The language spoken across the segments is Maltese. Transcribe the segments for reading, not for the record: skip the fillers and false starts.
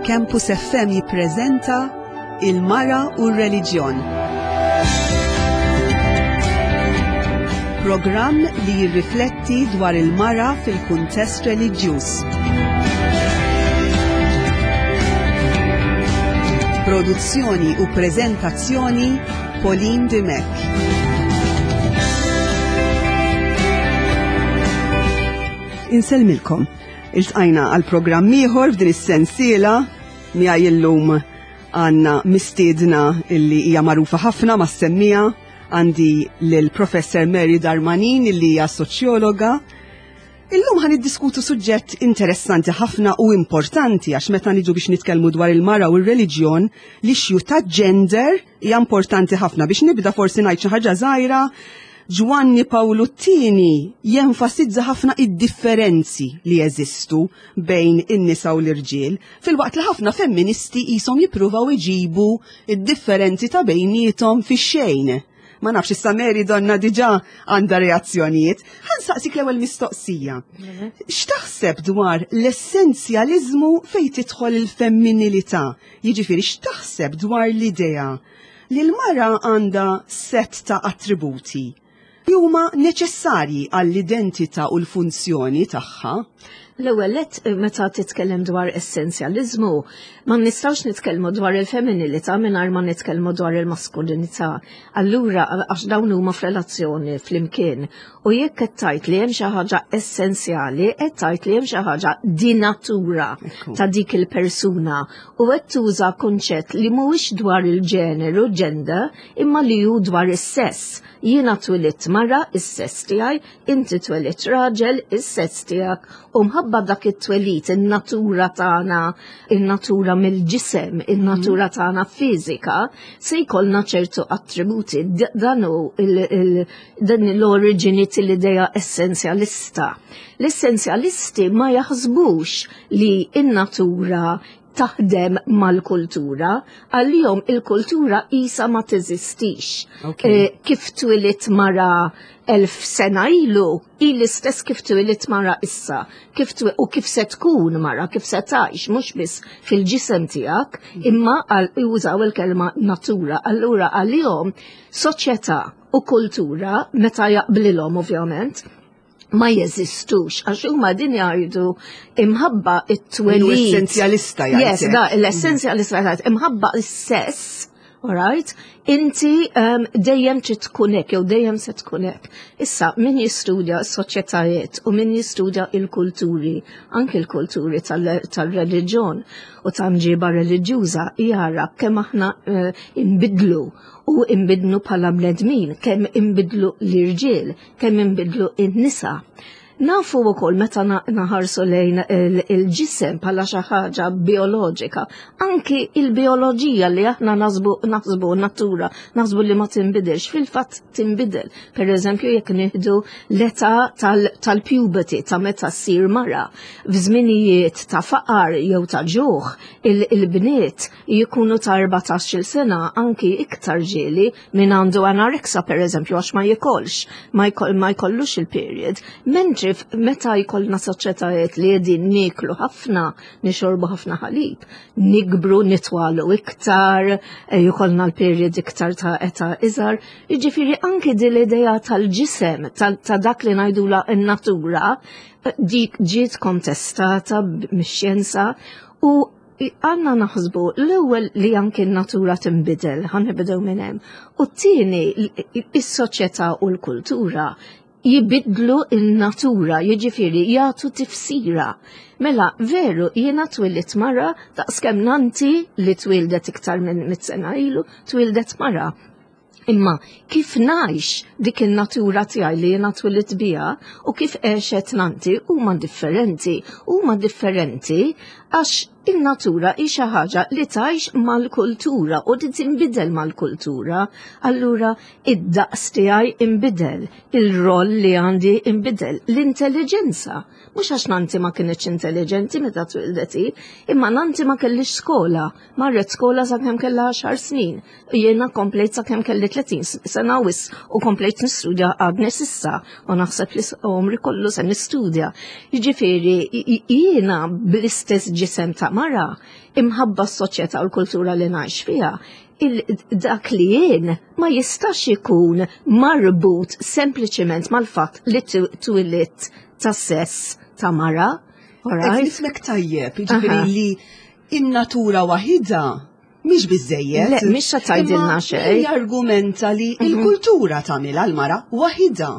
Campus FM jippreżenta Il-Mara u r-Reliġjon. Programm li jirrifletti dwar il-mara fil-kuntest reliġjuż. Produzzjoni u preżentazzjoni Pauline Dimech. Insellmilkom. Iltqajna għal programm ieħor f'din is-sensiela miegħi illum għandna mistiedna illi hija magħrufa ħafna mas-semmija għandi lil Professor Mary Darmanin illi hija soċjologa. Illum ħan niddiskutu suġġett interessanti ħafna u importanti għax meta niġu biex nitkellmu dwar il-mara u r-reliġjon, l-issue ta' gender hija importanti ħafna. Biex nibda forsi ngħid xi ħaġa żgħira, Ġwanni Pawlu t-tieni jenfasizza ħafna id-differenzi li jeżistu bejn in-nisa u l-irġiel, filwaqt li ħafna femministi qishom jippruvaw iġibu id-differenzi ta' bejniethom fix-xejn. Ma nafx issa Mary donna diġà għandha reazzjonijiet. Ħa nsaqsik l-ewwel mistoqsija. X'taħseb dwar l-essenzjaliżmu fejn tidħol il-femminilità? Jiġifieri x'taħseb dwar l-idea li l-mara għandha sett ta' attributi li huma neċessarji għall-identità u l-funzjoni tagħha? L-ewwel nett meta titkellem dwar essenzjaliżmu, ma nistgħux nitkellmu dwar il-femminilità mingħajr ma nitkellmu dwar il-maskulinità. Allura għax dawn huma f'relazzjoni flimkien. U jekk qed tgħid li hemm xi ħaġa essenzjali, qed tgħid li hemm xi ħaġa di natura ta' dik il-persuna u qed tuża kunċett li mhuwiex dwar il-ġeneru, gender, imma li hu dwar is-sess. Jiena twilidt mara, is-sess tiegħi, inti twelidt raġel, is-sess tiegħek, u mħabba dak it-twelid, in-natura tagħna, in-natura mill-ġisem, in-natura tagħna fiżika, se jkollna ċertu attributi. Dan hu dan l-oriġini tal-idea essenzjalista. L-essenzjalisti ma jaħsbux li in-natura taħdem mal-kultura, għalihom il-kultura isa ma teżistix. Okay. Eh, kif twilit mara elf sena ilu, hi l-istess kif twilit mara issa, kif u kif se tkun mara, kif se tgħix, mhux biss fil-ġisem tiegħek, imma għal jużaw il-kelma natura. Allura għalihom soċjetà u kultura meta jaqblilhom ovvjament ma jeżistux għax huma din jgħidu imħabba it-twelid. L-essenzjalista jgħid. Yes, da, l-essenzjalista jgħid imħabba s-sess, alright, inti um, dejjem trid tkun hekk jew dejjem se tkun hekk. Issa min jistudja s-soċjetajiet u min jistudja il-kulturi, anki l-kulturi tal-reliġjon u ta' mġiba reliġjuża jara kemm aħna uh, inbidlu u inbidlu bħala bnedmin, kemm inbidlu l-irġiel, kemm inbidlu in-nisa. Nafu wkoll meta naħarsu lejn il-ġisem bħala xi ħaġa bioloġika, anki il-bioloġija li aħna naħsbu naħsbu natura, naħsbu li ma tinbidilx, fil-fatt tinbidel. Per eżempju, jekk nieħdu l-età tal-puberty ta' meta ssir mara, f'żminijiet ta' faqar jew ta' ġuħ, il-bniet jikunu ta' 14-il sena anki iktar ġieli min għandu anoreksa per eżempju għax ma jikolx, ma, ma jkollux il-period. Mentri meta jkollna soċjetajiet li qegħdin nieklu ħafna, nixorbu ħafna ħalib, nikbru nitwalu iktar, eh, jkollna l-period iktar ta' età iżgħar. Jiġifieri anki din l-idea tal-ġisem, ta' dak li ngħidula n-natura, eh, dik ġiet kontestata mix-xjenza u Għanna naħsbu l-ewwel li anki n-natura tinbidel, ħa nibdew minn hemm. U t-tieni is-soċjetà u l-kultura jibidlu il-natura, jiġifieri jagħtu tifsira. Mela, veru, jiena twilidt mara daqskemm nanti li twildet iktar minn mit sena ilu, twildet mara. Imma kif ngħix dik in-natura tiegħi li jiena twilidt biha u kif għexet nanti huma differenti. Huma differenti għax in-natura hi xi ħaġa li tgħix mal-kultura u li tinbidel mal-kultura. Allura id-daqs tiegħi inbidel, il-roll li għandi inbidel, l-intelligenza. Mhux għax nanti ma kinitx intelligenti meta twildet hi, imma nanti ma kellix skola, marret skola sakemm kellha 10 snin. Jiena komplejt sakemm kelli 30 sena wis u komplejt nistudja għadni s'issa u naħseb li għomri kollu se nistudja. Jiġifieri jiena bl-istess ġisem ta' mara, imħabba s-soċjetà u l-kultura li ngħix fiha, dak li jien ma jistax ikun marbut sempliċement mal-fatt li twilidt ta' sess ta' mara. Alright? Nifmek tajjeb, jiġifieri li in-natura waħida mhix biżejjed. Le, mhix se tgħidilna xejn. Jargumenta li il-kultura tagħmilha l-mara waħida.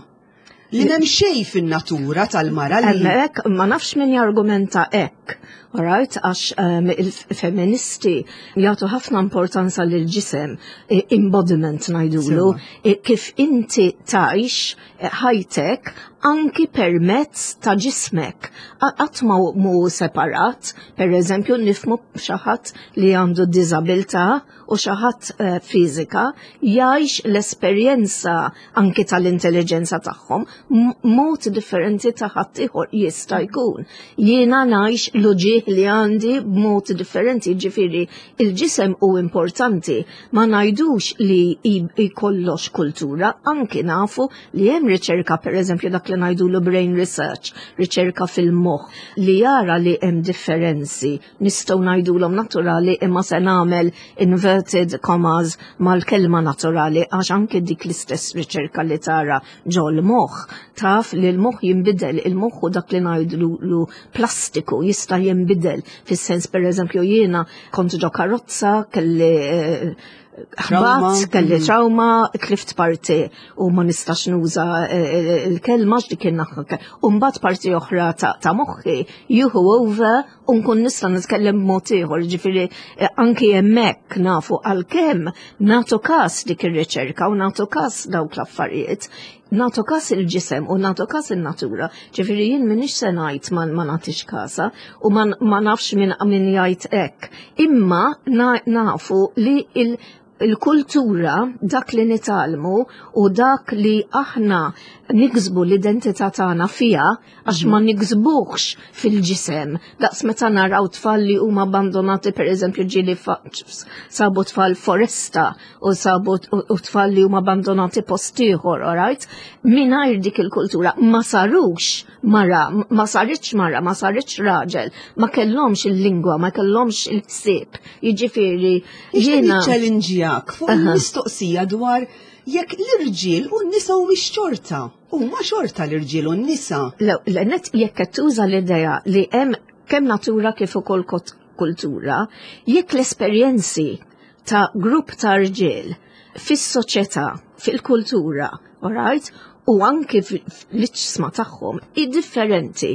Li m'hemm xejn fin-natura tal-mara li. Hemmhekk ma nafx min jargumenta hekk. Alright, għax il-feministi jagħtu ħafna importanza lil ġisem, embodiment ngħidulu, kif inti tgħix ħajtek anki permezz ta' ġismek. Qatt ma mu separat, per eżempju nifmu xi ħadd li għandu diżabilità u xi ħadd fiżika jgħix l-esperjenza anki tal-intelligenza tagħhom mod differenti ta' ħadd ieħor jista' jkun. Jiena ngħix l-uġieħ li għandi b'mod differenti, ġifieri il-ġisem hu importanti. Ma ngħidux li jkollox kultura, anki nafu li hemm riċerka pereżempju dak li ngħidulu brain research, riċerka fil-moħħ li jara li hemm differenzi nistgħu ngħidulhom naturali imma se nagħmel inverted commas mal-kelma naturali għax anke dik l-istess riċerka li tara ġol moħħ taf li l-moħħ jinbidel, il-moħħ hu dak li ngħidlu plastiku jista' jinbidel fis-sens pereżempju jiena kont ġo karozza kelli eh, ħbat, kelli trauma, tlift parti u ma nistax nuża eh, eh, il-kelma x'dik in-naħa. U mbagħad parti oħra ta' moħħi jieħu over u nkun nista' nitkellem b'mod ieħor, ġifieri eh, anki hemmhekk nafu għalkemm nagħtu każ dik ir-riċerka u nagħtu każ dawk l-affarijiet, nagħtu każ il-ġisem u nagħtu każ in-natura. Ġifieri jien m'iniex se ngħid ma, ma nagħtix kasa u ma, ma nafx min min jgħid hekk. Imma nafu li il il-kultura, dak li nitgħallmu u dak li aħna niksbu l-identità tagħna fiha, għax ma niksbuhx fil-ġisem. Daqs meta naraw tfal li huma abbandonati, per eżempju, ġieli sabu tfal foresta u sabu u tfal li huma abbandonati post ieħor, alright? Mingħajr dik il-kultura ma sarux mara, ma saritx mara, ma saritx raġel, ma kellhomx il-lingwa, ma kellhomx il-ħsieb. Jiġifieri jiena challenge fuq il-mistoqsija dwar jekk l-irġiel u n-nisa humiex xorta. Huma xorta l-irġiel u n-nisa. L-net jekk qed tuża l-idea li hemm kemm natura kif ukoll kultura, jekk l-esperjenzi ta' grupp ta' rġiel fis-soċjetà, fil-kultura, alright, u anki fl-iġsma tagħhom i differenti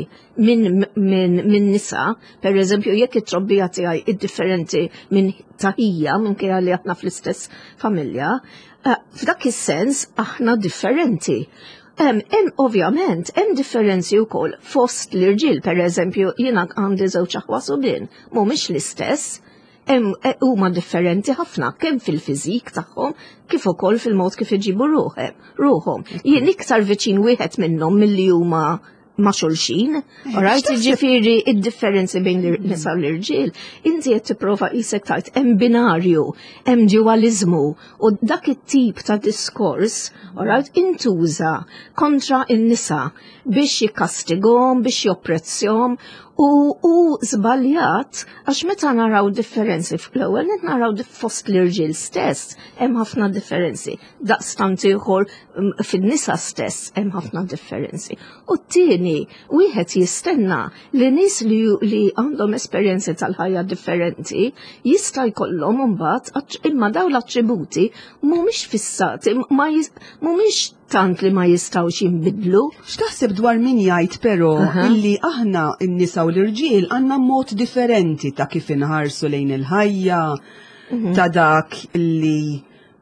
minn min, min nisa, per eżempju jekk it-trobbija tiegħi id differenti minn taħija minkejja li aħna fl-istess familja, eh, f'dak is-sens aħna differenti. Hemm ovvjament hemm differenzi wkoll fost l-irġiel, per eżempju jiena għandi żewġ aħwa subien, mhumiex l-istess, E, huma differenti ħafna kemm fil-fiżik tagħhom kif ukoll fil-mod kif iġibu ruħhom. Jien iktar viċin wieħed minnhom milli huma ma' xulxin, eh, alright, ġifieri id-differenzi bejn l-nisa u l-irġiel, inti qed tipprova qisek tajt hemm binarju, hemm dualizmu u dak it-tip ta' diskors, alright, intuża kontra n-nisa biex jikkastigom, biex jopprezzjom u hu żbaljat għax meta naraw differenzi fl-ewwel qed naraw fost l-irġiel stess hemm ħafna differenzi. Daqstant ieħor fin-nisa stess hemm ħafna differenzi. U t-tieni wieħed jistenna li nies li, li għandhom esperjenzi tal-ħajja differenti jista' jkollhom imbagħad imma dawn l-attributi mhumiex fissati, mhumiex tant li ma jistgħux jinbidlu. X'taħseb dwar min jgħid però illi aħna n-nisa u l-irġiel għandna mod differenti ta' kif inħarsu lejn il-ħajja, mhm. ta' dak li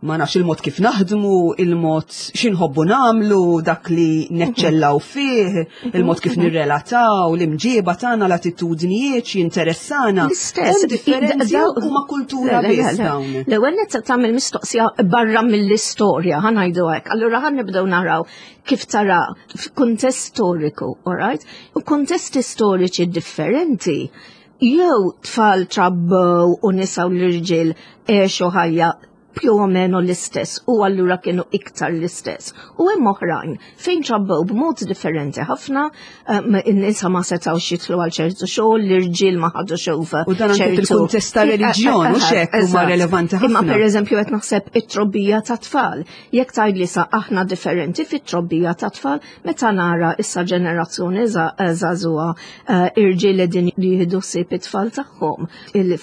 ma nafx il-mod kif naħdmu, il-mod xinħobbu namlu, dak li neċċellaw fih, il-mod kif nirrelataw, l-imġieba tagħna, l-attitudnijiet x'jinteressana. L-istess differenzi huma kultura biss dawn. L-ewwel nett tagħmel mistoqsija barra mill-istorja, ħa ngħidu hekk. Allura ħa nibdew naraw kif tara f'kuntest storiku, alright? U kuntesti storiċi differenti jew tfal trabbew u nisa u l-irġiel għexu ħajja più o meno l-istess u allura kienu iktar l-istess. U hemm oħrajn fejn trabbew b'mod differenti ħafna, in-nisa ma setgħux jidħlu għal ċertu xogħol, l-irġiel ma ħadux over. U dan anke fil-kuntest ta' reliġjon u xek huma relevanti ħafna. Imma pereżempju qed naħseb it-trobbija ta' tfal. Jekk tgħidli sa aħna differenti fit-trobbija ta' tfal, meta nara issa ġenerazzjoni żagħżugħa irġiel qegħdin jieħdu ħsieb it-tfal tagħhom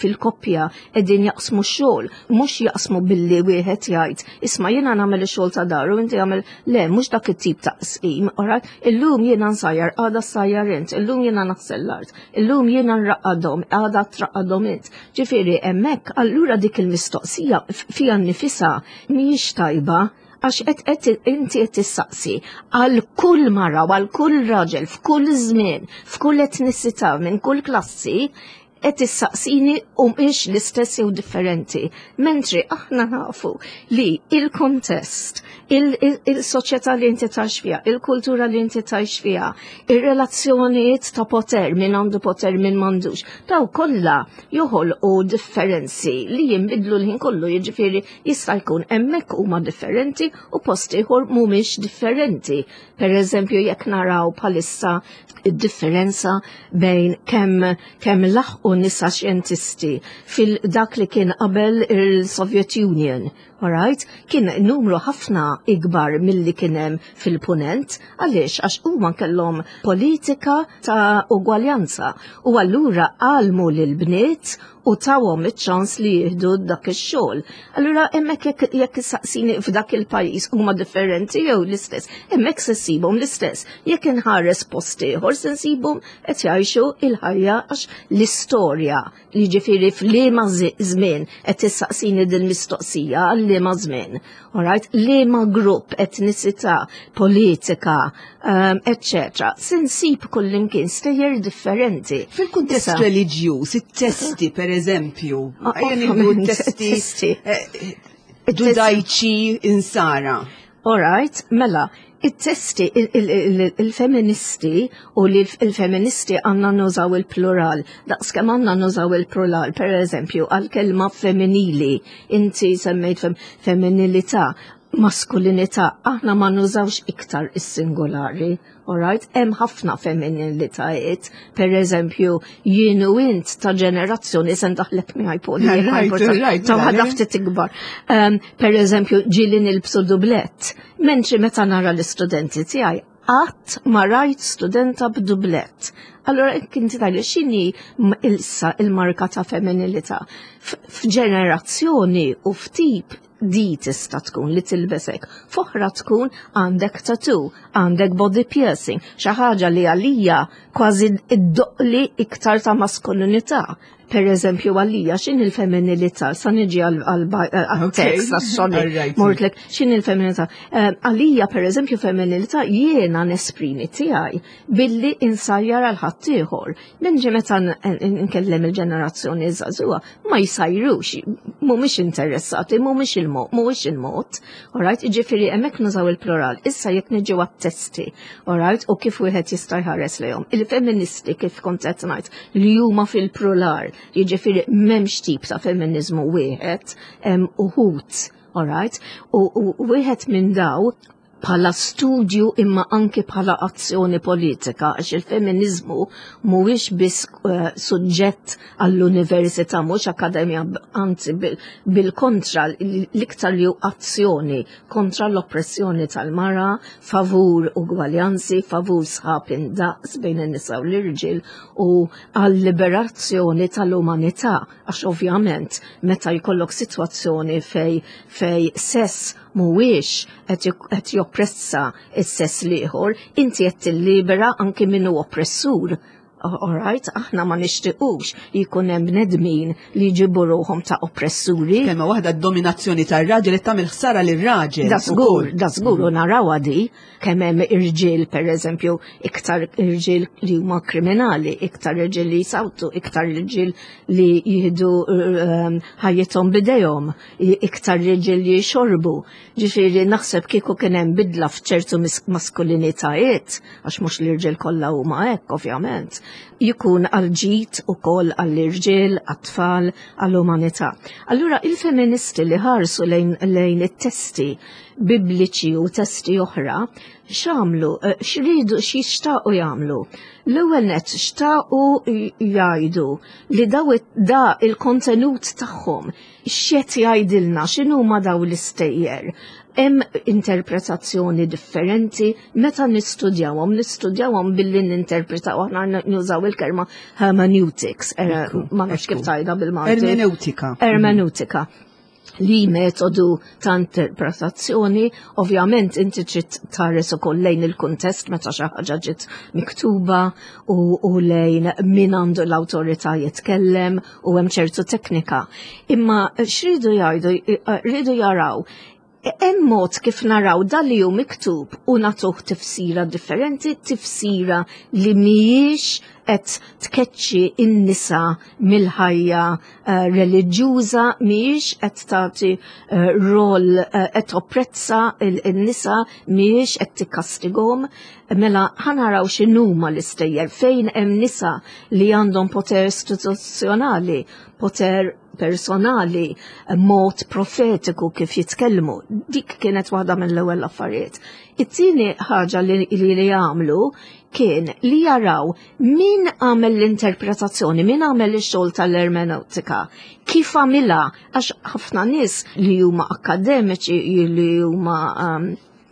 fil-koppja qegħdin jaqsmu x-xogħol, mhux jaqsmu billi wieħed jgħid, isma' jiena nagħmel ix-xogħol ta' dar u inti għamel le, mhux dak it-tip ta' qsim, alright? Illum jiena nsajjar, għada ssajjar int, illum jiena naħsel l-art, illum jiena nraqqadhom, għada traqqadhom int. Ġifieri hemmhekk allura dik il-mistoqsija fiha nnifisha mhijiex tajba għax qed qed inti qed tissaqsi għal kull mara u għal kull raġel f'kull żmien, f'kull etnisità, minn kull klassi, qed issaqsini u mhix l-istess jew differenti. Mentri aħna nafu li il-kontest, il-soċjetà li inti tgħix fiha, il-kultura li inti tgħix fiha, ir-relazzjonijiet ta' poter, min għandu poter, min m'għandux, daw kollha joħolqu differenzi li jinbidlu l-ħin kollu, jiġifieri jista' jkun hemmhekk huma differenti u post ieħor mhumiex differenti. Per eżempju, jekk naraw bħalissa id-differenza bejn kemm kemm laħqu nisa xjentisti fil-dak li kien qabel il-Soviet Union, alright? Kien numru ħafna ikbar milli kien hemm fil-punent, għaliex għax huma kellhom politika ta' ugwaljanza u allura għalmu lil bniet u tawhom iċ-ċans li jieħdu dak ix-xogħol. Allura hemmhekk jekk jekk issaqsini f'dak il-pajjiż huma differenti jew l-istess, hemmhekk se ssibhom l-istess. Jekk inħares post ieħor se nsibhom qed jgħixu il-ħajja għax l-istorja, jiġifieri f'liema żmien qed tissaqsini din mistoqsija għal liema żmien. Alright, liema grupp, etnisità, politika, eccetera. Se nsib kullimkien stejjer differenti. Fil-kuntest reliġjuż, it-testi per eżempju, ejja nieħdu t-testi ġudajċi insara. Alright, mela, it-testi, il-feministi u li il-feministi għanna nużaw il-plural, daqskemm għanna nużaw il-plural, per eżempju, għal-kelma femminili, inti semmejt femminilità, maskulinità, aħna ma nużawx iktar is-singolari, alright? Hemm ħafna femminilitajiet, per eżempju, jien u int ta' ġenerazzjoni se ndaħlek miegħi Poli, ta' ħadha ftit ikbar. Per eżempju, ġieli nilbsu dublett, mentri meta nara l-istudenti tiegħi qatt ma rajt studenta b'dublett. Allora inti tgħidli x'inhi issa il-marka ta' femminilità. F'ġenerazzjoni u f'tip di tista' tkun li tilbesek. F'oħra tkun għandek tattoo, għandek body piercing, xi ħaġa li għalija kważi iddoqli iktar ta' maskulinità. Per eżempju, għalija x'in il-femminilità, sa niġi għal-tekst, għas-sorry, mortlek, x'in il-femminilità. Għalija, per eżempju, femminilità jiena nesprimi tiegħi billi insajjar għal ħaddieħor. Menġi meta nkellem il-ġenerazzjoni żagħżugħa, ma jsajrux, mhumiex interessati, mhumiex il-mod, mhuwiex il-mod. Alright, jiġifieri hemmhekk nużaw il-plural. Issa jekk niġu għat-testi, alright, u kif wieħed jista' jħares lejhom. Il-feministi kif kont qed ngħid li huma fil-plural, jiġifieri m'hemmx tip ta' feminizmu wieħed, hemm uħud, alright, u wieħed minn daw bħala studju imma anki bħala azzjoni politika, għax il-feminizmu mhuwiex biss suġġett għall-università, mhux akademja, anzi bil-kontra, l-iktar li hu azzjoni kontra l-oppressjoni tal-mara, favur ugwaljanzi, favur sħab indaqs bejn in-nisa u l-irġiel u għall-liberazzjoni tal-umanità, għax ovvjament meta jkollok sitwazzjoni fej sess mhuwiex qed joppressa s-sess l-ieħor, inti qed tillibera anki min hu oppressur. Alright, aħna ma nixtiequx li jkun hemm bnedmin li jġibu ruħhom ta' oppressuri. Kelma waħda, d-dominazzjoni tar-raġel qed tagħmel ħsara lir-raġel. Da żgur, da żgur, u narawha di kemm hemm irġiel, per eżempju, iktar irġiel li huma kriminali, iktar irġiel li jsawtu, iktar irġiel li jieħdu ħajjithom bidejhom, iktar irġiel li jxorbu. Ġifieri naħseb kieku kien hemm bidla f'ċertu maskulinitajiet, għax mhux l-irġiel kollha huma hekk, ovvjament. jkun għal ġid ukoll għall-irġiel, għat-tfal, għall-umanità. Allura il-feministi li ħarsu lejn, lejn it-testi bibliċi u testi oħra, x'għamlu, eh, x'ridu, x'jixtaqu jagħmlu. L-ewwel net xtaqu jgħidu li daw da il-kontenut tagħhom x'qed jgħidilna x'inhuma daw l-istejjer. Hemm interpretazzjoni differenti meta nistudjawhom, nistudjawhom billi ninterpretaw aħna nużaw il-kelma hermeneutics, eh, ma nafx kif tgħidha bil-Malti. Ermeneutika. Ermeneutika li metodu ta' interpretazzjoni, ovvjament inti trid tħares ukoll lejn il-kuntest meta xi ħaġa ġiet miktuba u, u lejn min għandu l-awtorità jitkellem u hemm ċertu teknika. Imma x'ridu jgħidu, rridu jaraw hemm mod kif naraw dan li hu miktub u nagħtuh tifsira differenti, tifsira li mhijiex qed tkeċċi n-nisa mill-ħajja uh, reliġjuża, mhijiex qed tagħti uh, rol uh, qed opprezza n-nisa, mhijiex qed tikkastigahom. Mela ħa naraw x'inhuma l-istejjer fejn hemm nisa li għandhom poter istituzzjonali, poter personali, mod profetiku kif jitkellmu. Dik kienet waħda mill-ewwel affarijiet. It-tieni ħaġa li li jagħmlu kien li jaraw min għamel l-interpretazzjoni, min għamel ix-xogħol tal-ermeneutika, kif għamilha għax ħafna nies li huma akademiċi li huma um,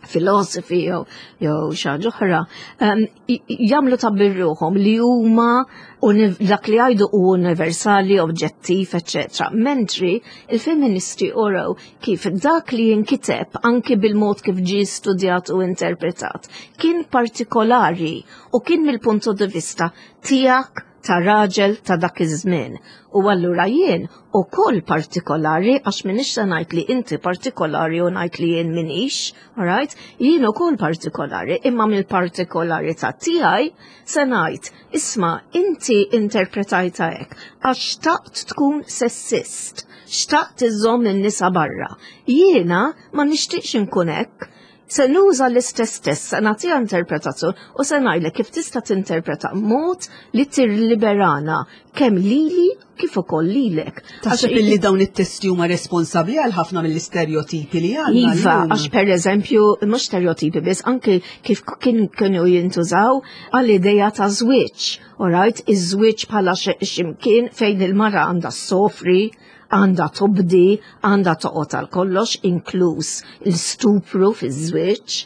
filosofi jew jew xi ħaġa oħra, um, jagħmlu ta' birruhom li huma dak li jgħidu hu universali, oġġettiv, eċċetera. Mentri il-feministi uraw kif dak li jinkiteb anki bil-mod kif ġie studjat u interpretat kien partikolari u kien mill-punto di vista tiegħek ta' raġel ta' dak iż-żmien. U allura jien ukoll partikolari għax minix se ngħid li inti partikolari u ngħid li jien minix, alright? Jien ukoll partikolari, imma mill-partikolarità tiegħi se ngħid, isma' inti interpretajta hekk għax xtaqt tkun sessist, xtaqt iżżomm in-nisa barra. Jiena ma nixtieqx inkun hekk. Se nuża l-istess test, se nagħtiha interpretazzjoni u se ngħidlek kif tista' tinterpreta mod li tirliberana kemm lili kif ukoll lilek. Taħseb illi dawn it-testi huma responsabbli għal ħafna mill-istereotipi li għandna. Iva, għax per eżempju, mhux stereotipi biss, anke kif kien kienu jintużaw għall-ideja ta' żwieġ. Alright, iż-żwieġ bħala ximkien fejn il-mara għandha sofri, għandha tobdi, għandha toqgħod għal kollox, inkluż il-stupru fiż-żwieġ,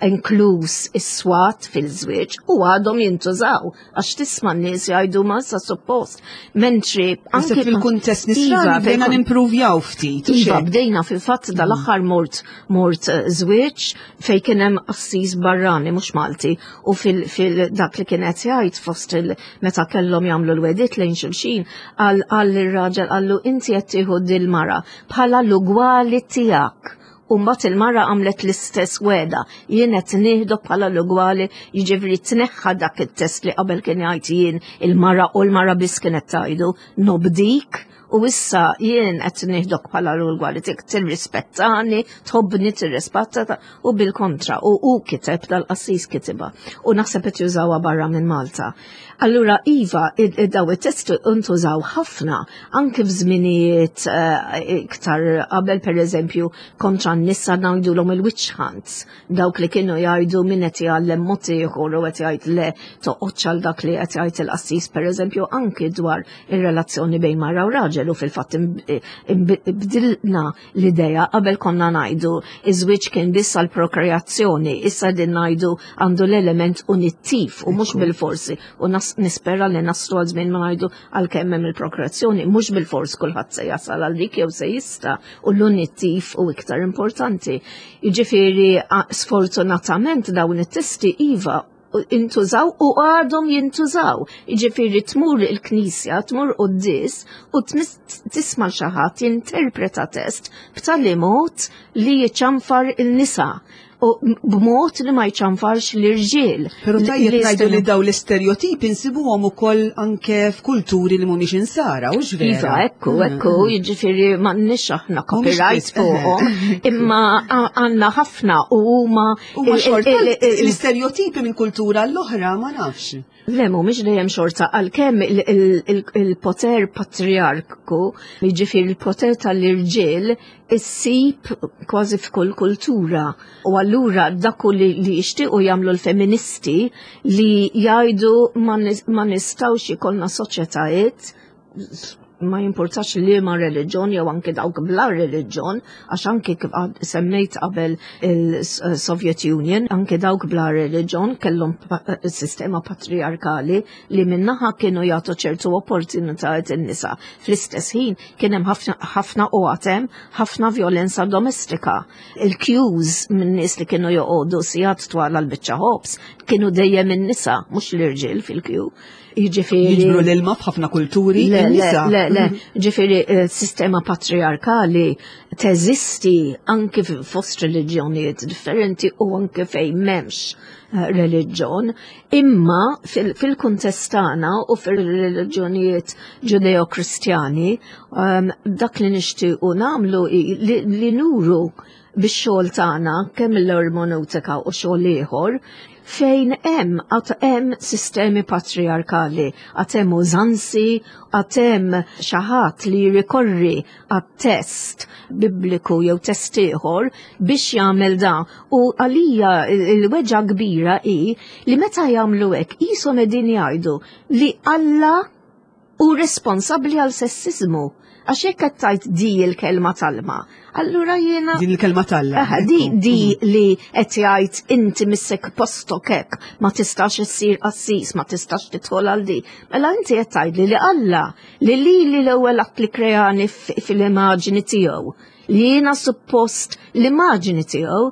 inkluż is-swat fil-żwieġ, u għadhom jintużaw għax tisma' n-nies jgħidu ma sa suppost. Mentri anke fil-kuntest nisrani bdejna nimprovjaw ftit. Iva, bdejna fil-fatt dal-aħħar mort mort eh, żwieġ fejn kien hemm qassis barrani mhux Malti u fil dak li kien qed jgħid fost il meta kellhom jagħmlu l-wedit lejn xulxin għal għal ir-raġel qallu inti qed tieħu dil-mara bħala l-ugwali tiegħek. U mbagħad il-mara għamlet l-istess weda, jien qed nieħdu bħala l-ugwali, jiġifieri tneħħa dak it-test li qabel kien jgħid jien il-mara u l-mara biss kienet tgħidu nobdik u issa jien qed nieħdok bħala l-ugwali tiegħek tirrispettani, tħobbni, tirrispetta u bil-kontra u u kiteb dal-qassis kitibha u naħseb qed jużawha barra minn Malta. Allura iva, daw it-testi ntużaw ħafna anke f'żminijiet eh, iktar qabel pereżempju kontra n-nisa ngħidulhom il-witch hunts, dawk li kienu jgħidu min qed jgħallem mod ieħor u qed jgħid le toqgħodx għal dak li qed jgħid il-qassis pereżempju anke dwar ir-relazzjoni bejn mara u raġel u fil-fatt bdilna l-idea qabel konna ngħidu iż-żwieġ kien biss għal prokreazzjoni, issa din ngħidu għandu l-element unittiv u mhux bil-forsi u nispera li naslu għal żmien ma ngħidu għalkemm hemm il-prokreazzjoni mhux bil-fors kulħadd se jasal għal dik jew se jista' u l-unittiv u iktar importanti. Jiġifieri sfortunatament dawn it-testi iva intużaw u għadhom jintużaw. Jiġifieri tmur il-knisja, tmur quddies u tisma' xi ħadd jinterpreta test b'tali mod li jċanfar il-nisa u b'mod li ma jċanfarx l-irġiel. Pero tajjeb ngħidu li daw l-istereotipi nsibuhom ukoll anke f'kulturi li mhumiex insara, u vera. Iva, ekku, ekku, jiġifieri m'għandniex aħna copyright fuqhom, imma għandna ħafna u huma Huma xorta l-istereotipi minn kultura l-oħra ma nafx. Le, mhumiex dejjem xorta, għalkemm il-poter patriarku, jiġifieri il-poter tal-irġiel, issib kważi f'kull kultura. U allura dak li jixtiequ jagħmlu l-feministi li jgħidu ma nistgħux ikollna soċjetajiet ma jimpurtax li ma reliġjon jew anke dawk bla reliġjon, għax anke kif semmejt qabel il-Soviet Union, anke dawk bla reliġjon kellhom sistema patriarkali li minnaħa kienu jagħtu ċertu opportunitajiet in-nisa. Fl-istess ħin kien hemm ħafna u għatem ħafna violenza domestika. Il-queues minn nies li kienu joqogħdu sigħat twal għal biċċa ħobż kienu dejjem in-nisa, mhux l-irġiel fil-queue. Jiġifieri Jiġbru l-ilma f'ħafna kulturi. Le, le, le, le. Ġifieri eh, sistema patriarkali teżisti anke fost reliġjonijiet differenti u anke fejn m'hemmx eh, reliġjon, imma fil-kuntest tagħna u fil-reliġjonijiet Ġudeo-Kristjani, ehm, dak li nixtiequ nagħmlu li nuru bix-xogħol tagħna kemm l-ermoneutika u xogħol ieħor fejn hemm għad hemm sistemi patriarkali, għad hemm użanzi, għad hemm xi ħadd li jrikorri għat-test bibliku jew test ieħor biex jagħmel dan. U għalija l-weġgħa kbira hi li meta jagħmlu hekk qishom qegħdin jgħidu li Alla hu responsabbli għal sessiżmu. Għax jekk qed tgħid di l-kelma talma, allura jiena Din il-kelma talla. Di di li qed jgħid inti missek postok hekk, ma tistax issir qassis, ma tistax tidħol għal di. Mela inti qed tgħidli li Alla li lili l-ewwel att li kreani fil-immaġini tiegħu, li jiena suppost l-immaġini tiegħu,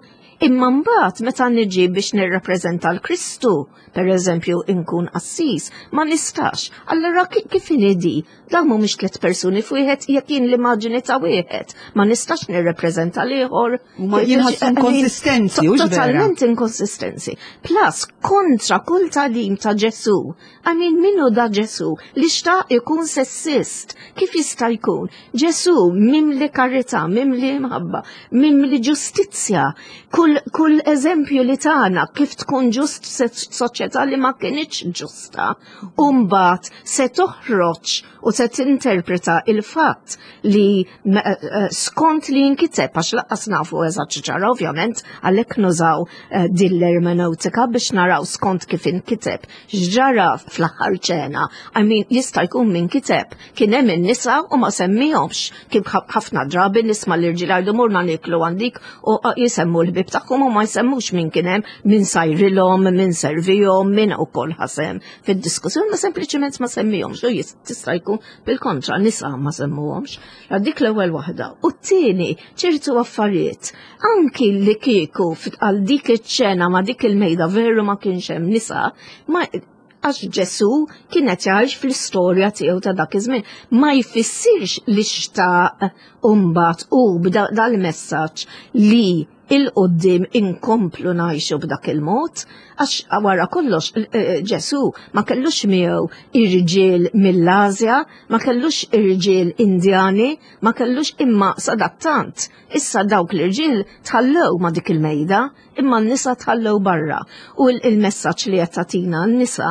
imma mbagħad meta niġi biex nirrappreżenta l-Kristu, per eżempju inkun qassis, ma nistax. Allura kif inhi di? Dawn mhumiex tliet persuni f'wieħed jekk jien l-immaġini ta' wieħed, ma nistax nirrepreżenta l-ieħor. Ma jinħassu inkonsistenzi, hux vera? Totalment inkonsistenzi. Plus, kontra kull tagħlim ta' Ġesù. I mean, min hu da Ġesù li xtaq ikun sessist? Kif jista' jkun? Ġesù mimli karità, mimli mħabba, mimli ġustizzja. Kull, kull eżempju li tagħna kif tkun ġust soċjetà li ma kinitx ġusta, u mbagħad se toħroġ u se tinterpreta il-fatt li eh, eh, skont li jinkiteb għax laqqas nafu eżatt ġara ovvjament għalhekk nużaw eh, din l-ermeneutika biex naraw skont kif inkiteb x'ġara fl-aħħar ċena. I mean, jista' jkun min kiteb Kien hemm in-nisa u ma semmihomx kif ħafna drabi nisma' l-irġiel jgħidu morna nieklu għandik u jisemmu l-ħbieb tagħhom u ma jsemmux min kien hemm, min sajrilhom, min servihom, min ukoll ħasem fid-diskussjoni, ma sempliċement ma semmihomx u tista' jkun bil-kontra nisa ma semmuhomx. Dik l-ewwel waħda. U t-tieni ċertu affarijiet anki li kieku għal dik iċ-ċena ma dik il-mejda veru ma kienx hemm nisa, ma għax Ġesù kien qed jgħix fl-istorja tiegħu ta' dak iż-żmien. Ma jfissirx li xtaq u mbagħad hu dal-messaġġ li il-qoddim inkomplu ngħixu b'dak il-mod, għax wara kollox eh, eh, Ġesù ma kellux miegħu irġiel mill-Asja, ma kellux irġiel Indjani, ma kellux imma sadattant. Issa dawk l-irġiel tħallew ma dik il-mejda imma n-nisa tħallew barra. U il-messaġġ li qed tagħtina n-nisa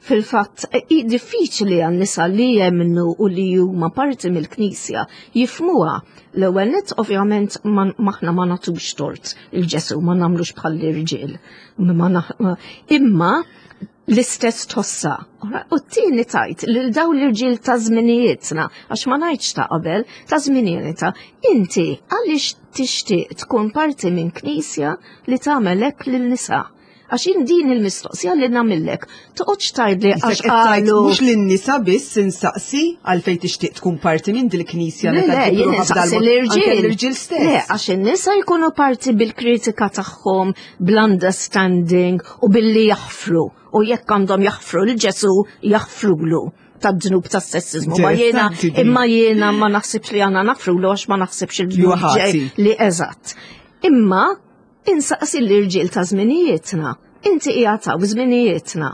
fil-fatt diffiċli għan-nisa li jemmnu u li huma parti mill-Knisja jifmuha. L-ewwel nett ovvjament maħna ma nagħtux tort il-Ġesu ma nagħmlux bħall-irġiel. Imma l-istess tħossha. U t-tieni tajt lil dawn l-irġiel ta' żminijietna, għax ma ngħidx ta' qabel, ta' żminijietna, inti għaliex tixtieq tkun parti minn knisja li tagħmel hekk lin-nisa? Għax jien din il-mistoqsija li nagħmillek, toqgħodx tgħidli għax qalu. Mhux lin-nisa biss insaqsi għalfejn tixtieq tkun parti minn dil-knisja li Le, jien insaqsi l-irġiel. L-irġiel stess. Le, għax in-nisa jkunu parti bil-kritika tagħhom, bl-understanding u billi jaħfru u jekk għandhom jaħfru l Ġesu jaħfrulu tad-dnub tas-sessizmu. Ma jiena imma jiena ma naħsibx li għandna nafrulu għax ma naħsibx il-dnub li eżatt. Imma insaqsi l-irġiel ta' żminijietna. Inti qiegħed hawn żminijietna.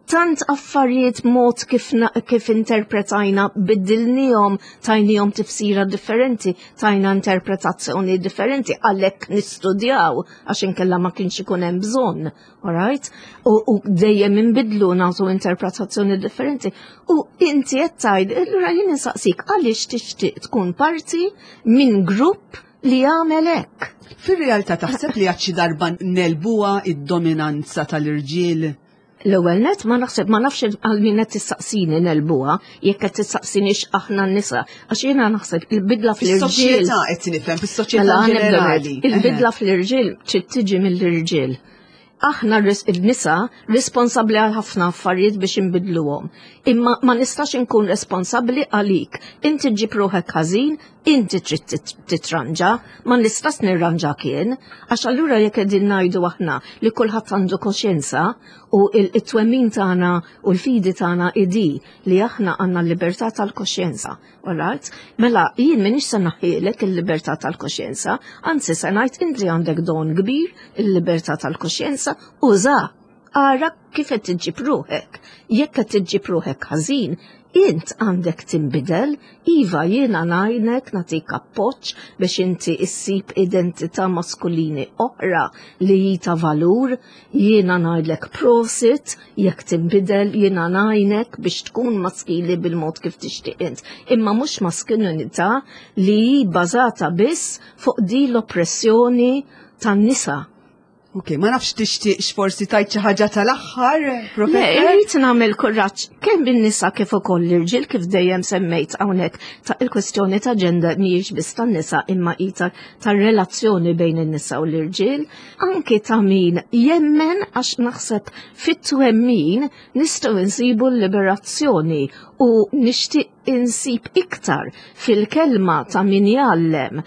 Tant affarijiet mod kif, kif interpretajna biddilnihom, tajnihom tifsira differenti, tajna interpretazzjoni differenti, għalhekk nistudjaw għax inkella ma kienx ikun hemm bżonn, alright? U, u dejjem inbidlu nagħtu interpretazzjoni differenti. U inti qed tgħid, allura jien insaqsik għaliex tixtieq tkun parti minn grupp li jagħmel hekk. Fir-realtà taħseb li għad xi darba nelbuha id-dominanza tal-irġiel? L-ewwel net ma naħseb ma nafx għal min qed tistaqsini nelbuha jekk qed tistaqsini aħna n-nisa għax jiena naħseb il-bidla fl-irġiel. Fis-soċjetà qed nifhem fis-soċjetà mela, ġenerali. Il-bidla fl-irġiel trid tiġi mill-irġiel. Aħna n-nisa responsabbli għal ħafna affarijiet biex inbidluhom. Imma ma nistax inkun responsabbli għalik. Inti ġib ruħek ħażin, inti trid titranġa, ma nistax nirranġa kien, għax allura jekk qegħdin ngħidu aħna li kulħadd għandu koxjenza u it-twemmin tagħna u l-fidi tagħna idi li aħna għandna l-libertà tal-koxjenza. Alright? Mela, jien minix se naħħielek il-libertà tal-koxjenza, anzi se ngħid inti għandek don kbir il-libertà tal-koxjenza, uża ara kif qed iġġib ruħek. Jekk qed iġġib ruħek ħażin, int għandek tinbidel, iva jiena ngħinek nagħtik appoġġ biex inti issib identità maskulini oħra li hi ta' valur, jiena ngħidlek prosit, jekk tinbidel jiena ngħinek biex tkun maskili bil-mod kif tixtieq int. Imma mhux maskulinità li hi bbażata biss fuq di l-oppressjoni tan-nisa. Ok, ma nafx tixtieqx forsi tajt xi ħaġa tal-aħħar, professor? Le, irrid nagħmel kuraġġ kemm bin-nisa kif ukoll l-irġiel kif dejjem semmejt hawnhekk ta' il-kwestjoni ta' ġender mhijiex biss tan-nisa imma hi tar-relazzjoni bejn in-nisa u l-irġiel, anki ta' min jemmen għax naħseb fit-twemmin nistgħu nsibu l-liberazzjoni u nixtieq insib iktar fil-kelma ta' min jgħallem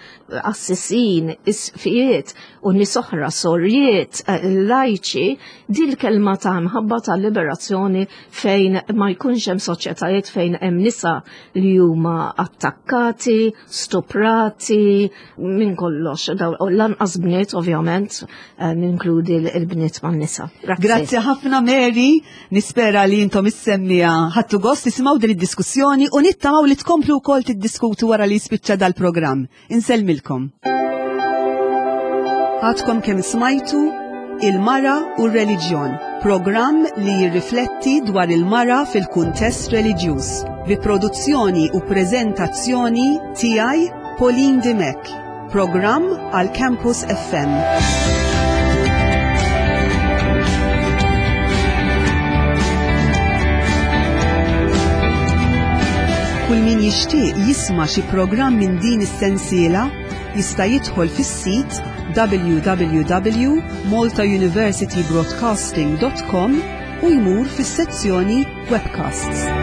assisin, isfijiet u nies oħra sorjiet, eh, lajċi, dil-kelma ta' mħabba ta' liberazzjoni fejn ma jkunx hemm soċjetajiet fejn hemm nisa li huma attakkati, stuprati, minn kollox, lanqas bniet ovvjament, eh, ninkludi l-bniet man nisa. Grazzi ħafna Mary, nispera li intom is-semmija ħadtu gost tisimgħu din id-diskussjoni u nittamaw li tkomplu wkoll tiddiskutu wara li jispiċċa dal-programm. Insellmilkom. Għadkom kemm smajtu Il-Mara u r-Reliġjon, programm li jirrifletti dwar il-mara fil-kuntest reliġjuż, bi produzzjoni u preżentazzjoni tiegħi Pauline Dimech, programm għal Campus FM. Kull min jixtieq jisma' xi programm minn din is-sensiela jista' jidħol fis-sit www.maltauniversitybroadcasting.com u jmur fis-sezzjoni Webcasts.